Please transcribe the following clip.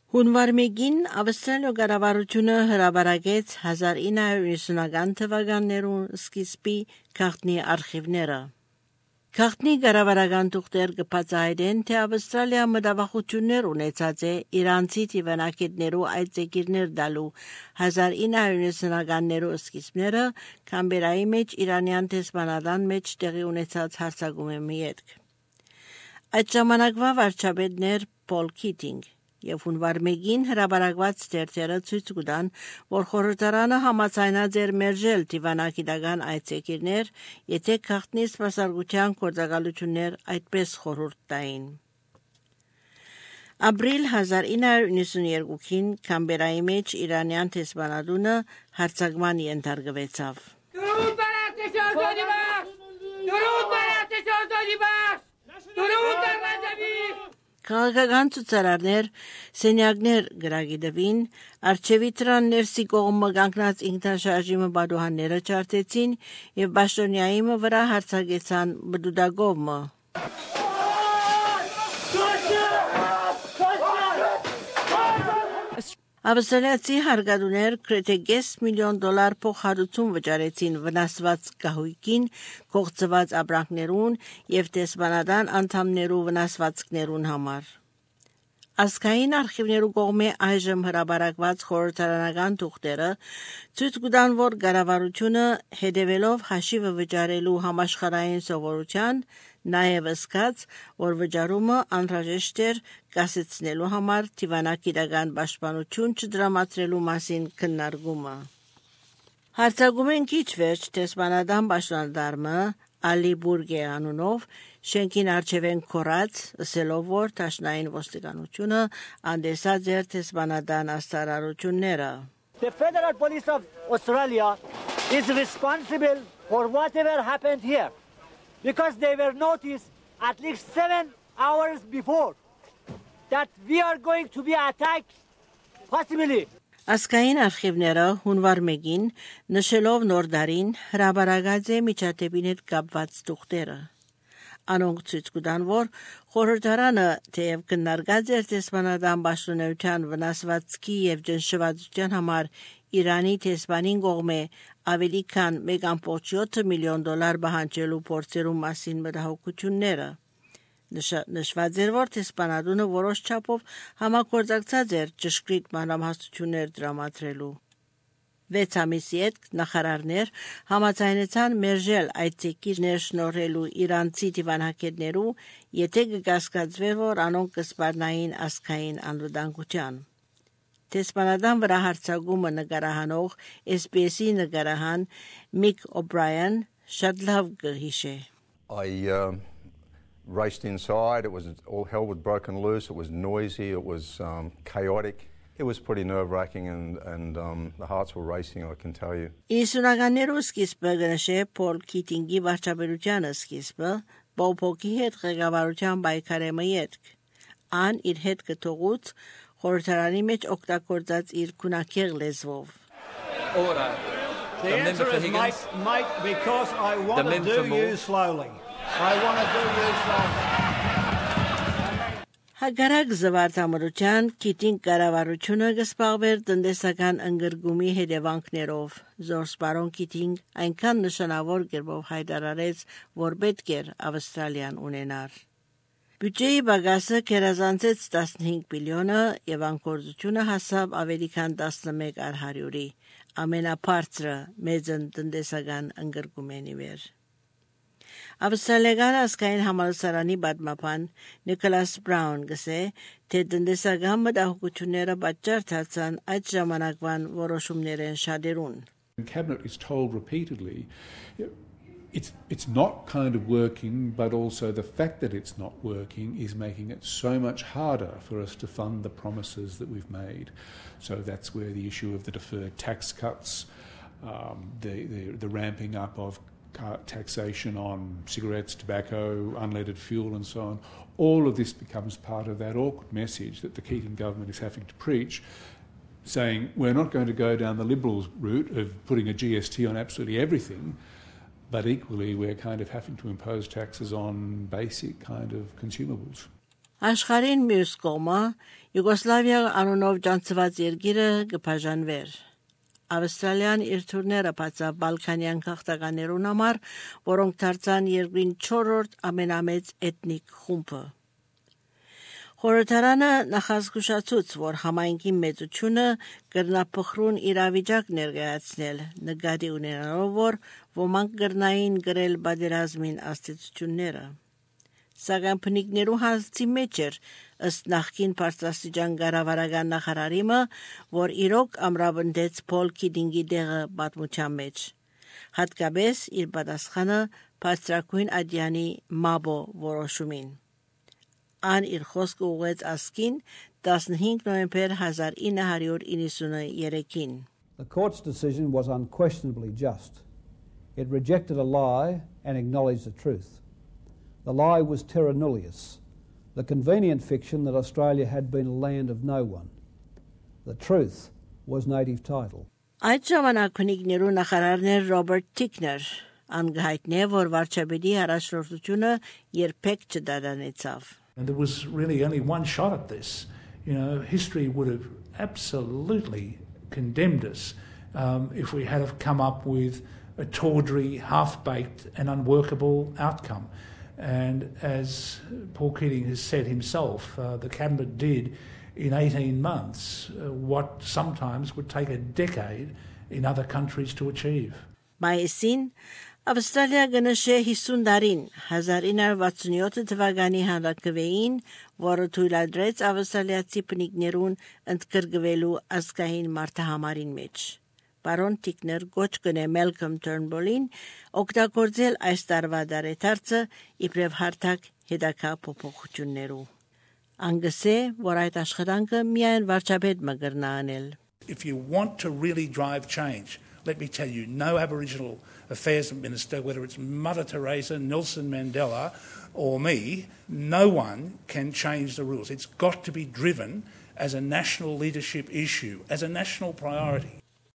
Հունվար 1-ին Ավստրալիա կառավարությունը հրապարակեց 1990-ական թվականներուն սկիզբի գաղտնի արխիվները։ Գաղտնի կառավարական թուղթեր կբացահայտեն, թե Ավստրալիա մտավախություններ ունեցած է իրանցի տիվանակետներու այցեգիրներ տալու 1990-ականներու սկիզբները Կամբերայի մեջ իրանյան դեսպանատան մեջ տեղի ունեցած հարձակումի հետ։ Այդ ժամանակվա վարչապետներ Պոլ Քիթինգ եւ հունվար 1-ին հրապարակված թերթերը ցույց կտան, որ խորհրդարանը համաձայնած էր մերժել դիվանագիտական այցեգիրներ, եթե գաղտնի սպասարկության գործակալություններ այդպես խորհուրդ տային։ Ապրիլ 1992-ին Կամբերայի մեջ իրանյան դեսպանատունը հարձակման ենթարկվեցավ։ Քաղաքական ցուցարարներ սենյակներ գրագիտվին, արչևի դրան ներսի կողմը կանգնած ինքնաշարժիմը բադուհանները չարտեցին եւ Բաշտոնյայի վրա հարձակեցան բդուդագովը։ Ավստրալիացի հարգադուներ գրեթե $5 միլիոն փոխհատուցում վճարեցին վնասված գահույքին, կողծված ապրանքներուն եւ դեսպանատան անդամներու վնասվածքներուն համար։ Ազգային արխիվներու կողմէ այժմ հրապարակված խորհրդարանական թուղթերը ցույց կտան, որ կառավարությունը հետևելով հաշիվը վճարելու համաշխարհային սովորության նաև զգաց, որ վճարումը անհրաժեշտ էր կասեցնելու համար դիվանագիտական պաշտպանություն չդրամատրելու մասին քննարկումը։ Հարձակումեն քիչ վերջ դեսպանատան պաշտոնատարը Ալի Բուրգե անունով շենքին առջևեն կորած, ասելով, որ Դաշնային ոստիկանությունը անդեսած էր դեսպանատան աստարարությունները։ The Federal Police of Australia is responsible for whatever happened here because they were noticed at least 7 hours before that we are going to be attacked possibly. Ազգային արխիվները հունվար 1-ին նշելով նոր դարին հրապարակած է միջադեպին հետ կապված թուղթերը։ Անոնք ցույց կտան, որ խորհրդարանը թեև քննարկած էր դեսպանատան պաշտոնեության վնասվածքի եւ ճնշվածության համար Իրանի դեսպանին կողմէ ավելի քան $1.7 միլիոն պահանջելու փորձերու մասին մտահոգությունները։ Նշված էր, որ դեսպանատունը որոշ չափով համագործակցած էր ճշգրիտ մանրամասնություններ դրամատրելու։ 6 ամիսի հետ նախարարներ համաձայնեցան մերժել այցեգիրներ շնորհելու իրանցի դիվանագետներու, եթե կկասկածվեր, որ անոնք կսպառնային ազգային անվտանգության։ Դեսպանատան վրա հարձակումը նկարահանող SBS-ի նկարահան Միք Օ'Բրայան շատ լավ կհիշե։ Raced inside, it was all hell was broken loose, it was noisy, it was chaotic. It was pretty nerve-wracking and the hearts were racing, I can tell you. Իսունականներու սկիզբը գնշե Պոլ Քիթինգի վարչապետության սկիզբը, բողոքի հետ ղեկավարության պայքարեմը ետք։ Ան իր հետ կթողուց խորհրդարանի մեջ օգտագործած իր քունակեղ լեզվով։ Order. The answer is Mike, because I want to do you slowly. I want to do you slowly. Հագարակ զվարթամրության Քիթինգ կառավարությունը կսպաղվեր տնտեսական ընկրկումի հետևանքներով։ Զորսպարոն Քիթինգ այնքան նշանավոր կերպով հայտարարեց, որ պետք էր Ավստրալիան ունենար։ Բյուջեի բագասը կերազանցեց 15 բիլիոնը եւ անկորձությունը հասավ ավելի քան 11%-ի, ամենաբարձրը մեծն տնտեսական ընկրկումենի վեր։ Ավստրալիական ազգային համալսարանի պատմաբան Նիկոլաս Բրաուն գսե, թե տնտեսական մտահոգությունները պատճառ դարձան այդ ժամանակվան որոշումներեն շատերուն։ The cabinet is told repeatedly it's not kind of working, but also the fact that it's not working is making it so much harder for us to fund the promises that we've made. So that's where the issue of the deferred tax cuts, the ramping up of taxation on cigarettes, tobacco, unleaded fuel and so on, all of this becomes part of that awkward message that the Keating government is having to preach, saying we're not going to go down the Liberals route of putting a GST on absolutely everything, but equally we're kind of having to impose taxes on basic kind of consumables. Աշխարհին մյուս կողմը Յուգոսլավիա անունով ճանցված երկիրը կբաժանվեր։ Ավստրալիան իր թուրները բացավ Բալկանյան քաղաքականերուն համար, որոնք դարձան երկրին 4-րդ ամենամեծ էթնիկ խումբը։ Խորհրդարանը նախազգուշացուց, որ համայնքի մեծությունը կրնափխրուն իրավիճակ ներկայացնել, նկատի ունենալով, որ ոմանք կրնային գրել պատերազմին աստեցությունները։ Սակայն բնիկներու հարցի մեջ էր ըստ նախկին բարձրաստիճան կառավարական նախարարիմը, որ իրոք ամրապնդեց Փոլ Քիթինգի տեղը պատմության մեջ, հատկապես իր պատասխանը բարձրակույն ադյանի Մաբո որոշումին։ Ան իր խոսքը ուղեց ասկին 15 նոյեմբեր 1993-ին։ The court's decision was unquestionably just. It rejected a lie and acknowledged the truth. The lie was terra nullius, the convenient fiction that Australia had been a land of no one. The truth was native title. Այդ ժամանակ բնիկներու նախարարներ Ռոբերտ Տիկներ անգահիտնե, որ վարչապետի առաջնորդությունը երբեք չդադարեցավ։ And there was really only one shot at this. You know, history would have absolutely condemned us if we had have come up with a tawdry, half-baked and unworkable outcome. And as Paul Keating has said himself, the Cabinet did in 18 months what sometimes would take a decade in other countries to achieve. Մայիսին Ավստրալիա գնշե 50 տարին 1967 թվականի հանրակրվեին, որը թույլատրեց ավստրալիացի բնիկներուն ընդգրկվելու ազգային մարտահամարին մեջ։ Բարոն Տիկներ գոչ կնե Մելքոմ Թըրնբոլին օգտագործել այս տարվա դարեթարցը իբրև հարթակ հետագա փոփոխություններու։ Անգսե, որ այդ աշխատանքը միայն վարչապետ մգրնա անել։ If you want to really drive change, let me tell you, no Aboriginal Affairs Minister, whether it's Mother Teresa, Nelson Mandela or me, no one can change the rules. It's got to be driven as a national leadership issue, as a national priority.